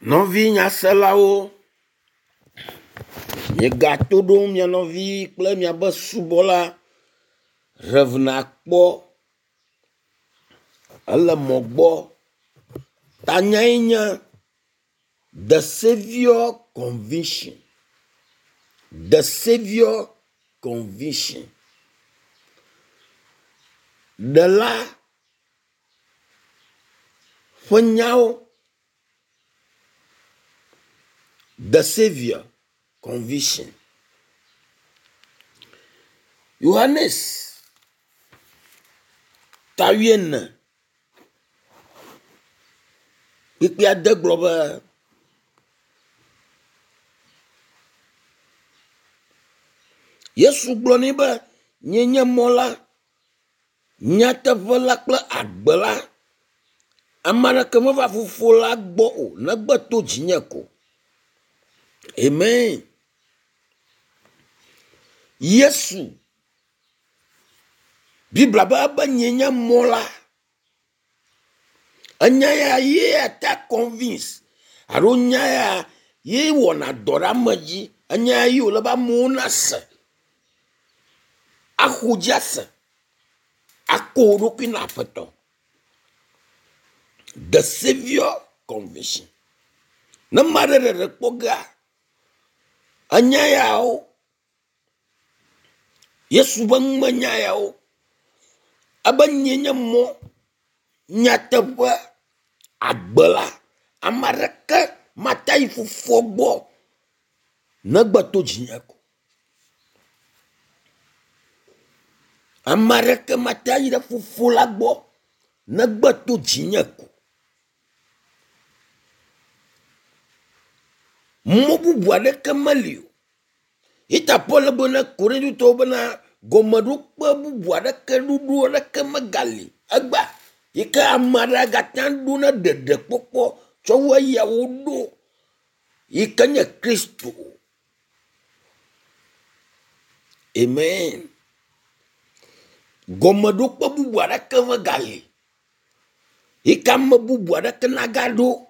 Nɔvi nyaselawo, miegato ɖom mia nɔvi kple miabe subɔla Rev. Akpɔ. Ele mɔ gbɔ. Tanyae nye “The Saviour Conviction”. The Saviour Conviction. Ɖela ƒe nyawo. The Saviour Conviction. Yohanes ta wuiene kpukpui ade gblɔ be, Yesu gblɔ nɛ be, nyee nye mɔ la, nyateƒe la kple agbe la. Ame aɖeke meva fofo la gbɔ o negbe to dzinye ko. Amen. Yesu Biblia be ebe nyee nye mɔ la. Enya ya ye ata convince alo nya ya ye wɔna dɔ ɖe ame dzi. Enya ya ye wòle be amewo nase, axɔ dzi ase, ako wo ɖokui na Aƒetɔ. The Saviour Conviction. Ne ame aɖe ɖeɖe kpɔ gea, enya yawo, Yesu ƒe numenya yawo, ebe nyee nye mɔ, nyateƒe, agbe la, ame aɖeke mate ayi fofoa gbɔ negbe to dzinye ko. Ame aɖeke mate ayi ɖe fofo la gbɔ negbe to dzinye ko. Mɔ bubu aɖeke meli o. Yita Paul gblɔ na Korintotɔwo bena gɔmeɖokpe bubu aɖeke ɖoɖo aɖeke megali egbea yi ke ame aɖe agate ŋu aɖo na ɖeɖekpɔkpɔ tsɔ wu eya woɖo yi ke nye Kristo. Amen. Gɔmeɖokpe bubu aɖeke megali yi ke ame bubu aɖeke nagaɖo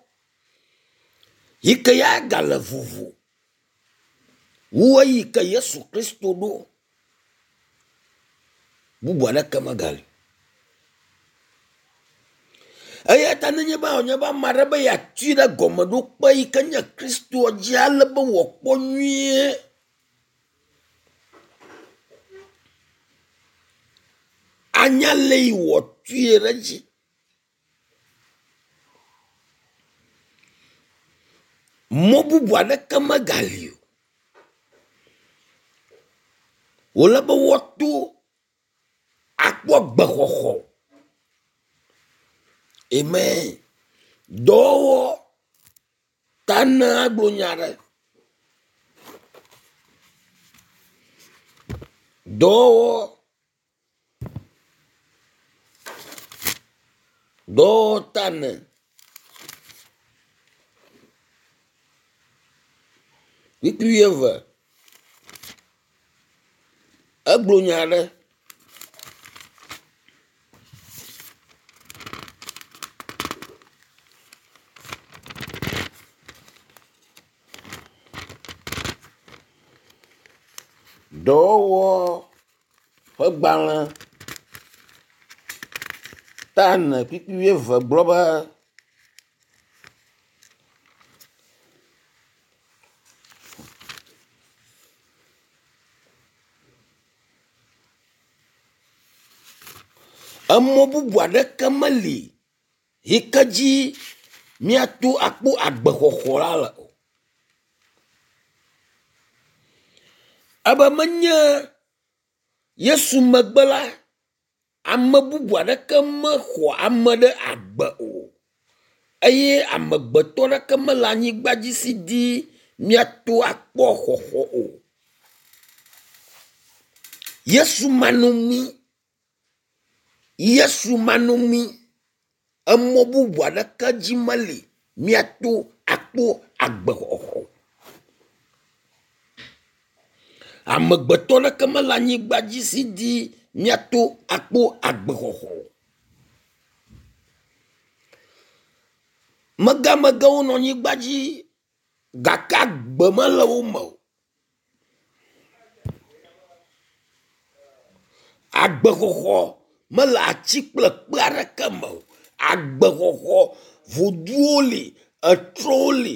yi ke ya gale vovo wu eyi ke Yesu Kristo ɖo. Bubu aɖeke megali. Eya ta nenye be wònye be ame aɖe be yeatui ɖe gɔmeɖokpe yi ke nye Kristoa dzi ale be wòakpɔ nyuie. Anya le yi wòatui ɖe edzi. Mɔ bubu aɖeke megali o. Wòle be woato akpɔ gbexɔxɔ. Amen. Dɔwɔwɔ ta ne agblɔ nya aɖe. Dɔwɔwɔ dɔwɔwɔ ta ne. Kpukpui wuieve. Egblɔ nya aɖe. Dɔwɔwɔ ƒe gbalẽ ta ene kpukpui wuieve gblɔ be. Emɔ bubu aɖeke meli yi ke dzi míato akpɔ agbexɔxɔ la le o. Ebe menye Yesu megbe la, ame bubu aɖeke mexɔ ame ɖe agbe o eye amegbetɔ aɖeke mele anyigba dzi si di míato akpɔ xɔxɔ o. Yesu manɔŋui, Yesu manɔŋui, emɔ bubu aɖeke dzi meli míato akpɔ agbexɔxɔ o. Amegbetɔ aɖeke mele anyigba dzi si di míato akpɔ agbexɔxɔ o. Megamegãwo nɔ anyigba dzi gake agbe mele wo me o. Agbexɔxɔ mele atsi kple kpe aɖeke me o. Agbexɔxɔ voduwo li, etrɔwo li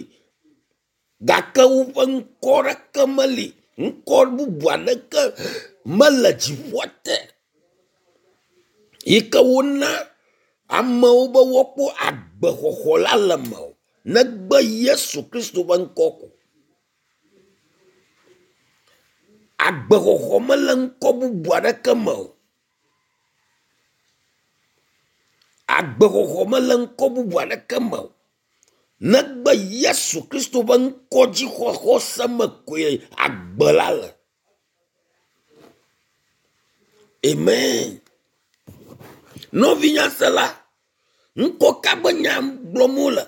gake woƒe ŋkɔ ɖeke meli. Ŋkɔ bubu aɖeke mele dziƒoa te yi ke wona amewo be woakpɔ agbexɔxɔ la le eme o negbe Yesu Kristo ƒe ŋkɔ ko. Agbexɔxɔ mele ŋkɔ bubu aɖeke me o. Agbexɔxɔ mele ŋkɔ bubu aɖeke me o. Negbe Yesu Kristo ƒe ŋkɔ dzixɔxɔse me koe agbe la le. Amen. Nɔvinyasela, ŋkɔ ka ƒe nya gblɔm wole?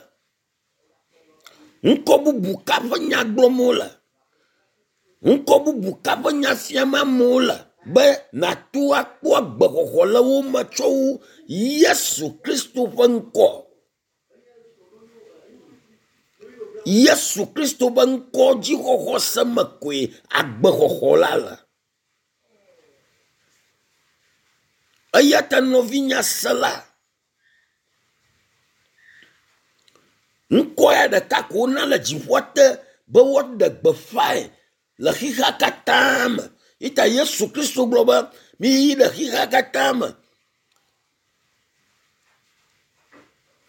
Ŋkɔ bubu ka ƒe nya gblɔm wole? Ŋkɔ bubu ka ƒe nya fiam amewo le be nàto akpɔ agbexɔxɔ le wo me tsɔ wu Yesu Kristo ƒe ŋkɔ? Yesu Kristo ƒe ŋkɔ dzixɔxɔse me koe agbexɔxɔ la le. Eya ta nɔvinyasela, ŋkɔ ya ɖeka ko wona le dziƒoa te be woaɖe gbeƒãe le xexea katã me. Yi ta Yesu Kristo gblɔ be miyi ɖe xexea katã me.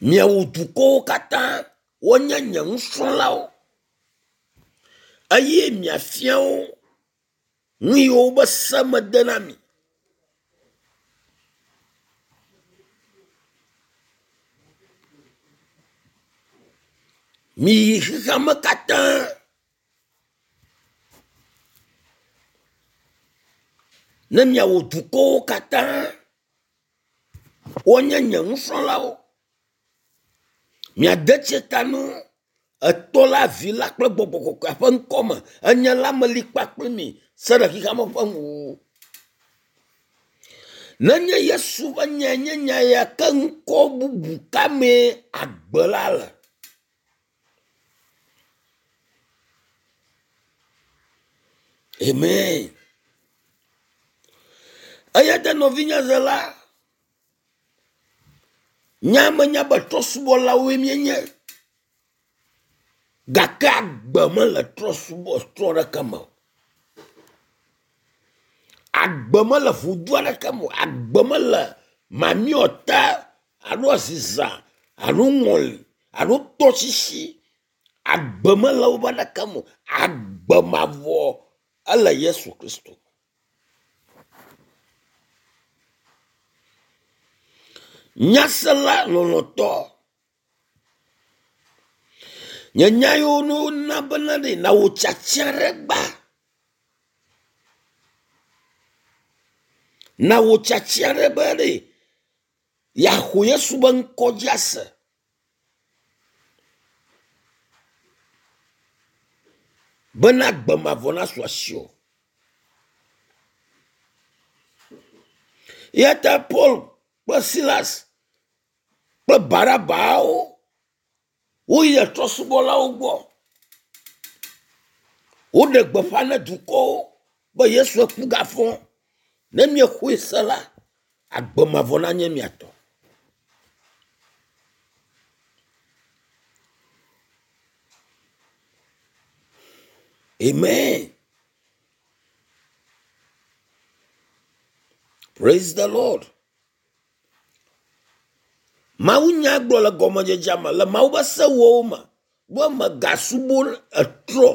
Miawu dukɔwo katã wonye nye nusrɔ̃lawo eye miafia wo nu yiwo be se mede na mi. Miyi xexeame katã. Ne miawɔ dukɔwo katã wonye nye nusrɔ̃lawo. Miade tsi ta na wo etɔ la, vi la kple gbɔgbɔ kɔkɔea ƒe ŋkɔ me. Enye la meli kpakple mi se ɖe xexeame ƒe nuwuwu. Nenye Yesu ƒe nyae nye nya ya ke ŋkɔ bubu ka mee agbe la le? Amen. Eya ta nɔvinye zela, nya menya be trɔ̃subɔlawoe míenye gake agbe mele trɔ̃subɔ trɔ̃ ɖeke me o. Agbe mele ʋudu aɖeke me o. Agbe mele mamiɔta alo aziza alo ŋɔli alo tɔsisi. Agbe mele woƒe aɖeke me o. Agbe mavɔ ele Yesu Kristo. Nyasela lɔlɔ̃tɔ, nye nya yiwo ne wona bena ɖe nawò tiatia ɖe gba. Nawò tiatia ɖe be ɖe yeaxɔ Yesu be ŋkɔ dzi ase. Bena agbe mavɔ nasu asiwò. Eya ta Paul kple Silas kple Barabawo woyi trɔ̃subɔlawo gbɔ. Woɖe gbeƒã na dukɔwo be Yesu ku gafɔ. Ne miexɔe se la, agbe mavɔ nanye mia tɔ. Amen. Praise the Lord. Mawunya gblɔ le gɔmedzedzea me le Mawu ƒe sewɔwo me be mègasubɔ etrɔ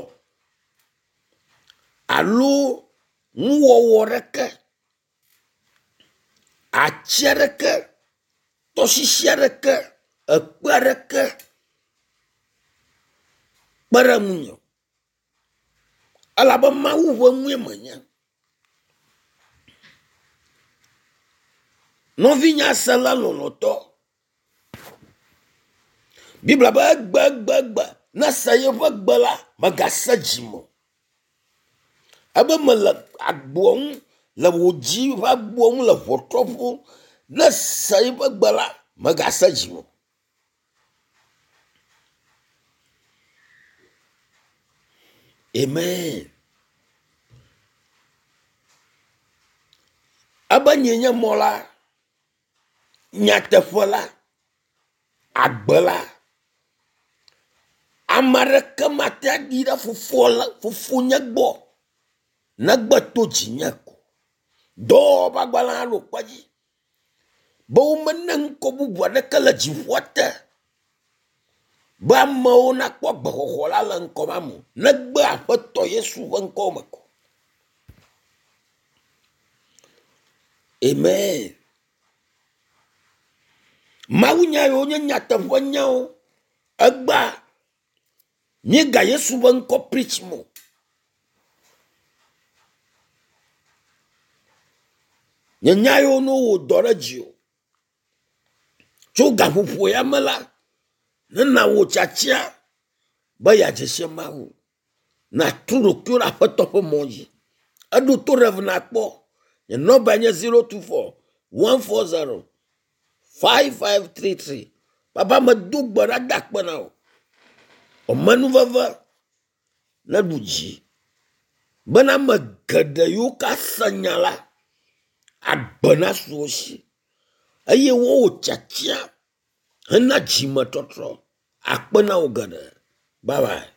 alo nuwɔwɔ aɖeke, atsi aɖeke, tɔsisi aɖeke, ekpe aɖeke kpe ɖe ŋunye o. Elabe Mawu ƒe nue menye. Nɔvinyasela lɔlɔ̃tɔ, Biblia be egbegbegbe ne ese yeƒe gbe la, mègase dzime o. Ebe mele agboa ŋu le wò dzi ƒe agboa ŋu le ʋɔtrɔ ƒom. Ne èse eƒe gbe la, mègase dzime o. Amen. Ebe nyee nye mɔ la, nyateƒe la, agbe la. Ame aɖeke mate aɖi ɖe fofoa la, fofonye gbɔ negbe to dzinye ko. Dɔwɔwɔ ƒe agbalẽ hã ɖo kpe edzi be womena ŋkɔ bubu aɖeke le dziƒoa te be amewo nakpɔ agbexɔxɔ la le ŋkɔ ma me o, negbe Aƒetɔ Yesu ƒe ŋkɔ me ko. Amen. Mawunya yiwo nye nyateƒenyawo egbea míega Yesu ƒe ŋkɔ preach mo. Nye nya yiwo ne wowɔ dɔ ɖe dziwò tso gaƒoƒo ya me la, nena wò tiatia be yeadze si Mawu. Nàtu ɖokuiwò ɖe Aƒetɔ ƒe mɔ dzi. Eɖo to Rev. Nakpɔ. Nye nɔmbae nye 024 140 5533. Papa medo gbe ɖa da akpe na wò. Amenuveve neɖu dzi bena ame geɖe yiwo ke ase nya la, agbe nasu wo si eye wowɔ tiatia hena dzimetɔtrɔ. Akpe na wò geɖe. Bye bye.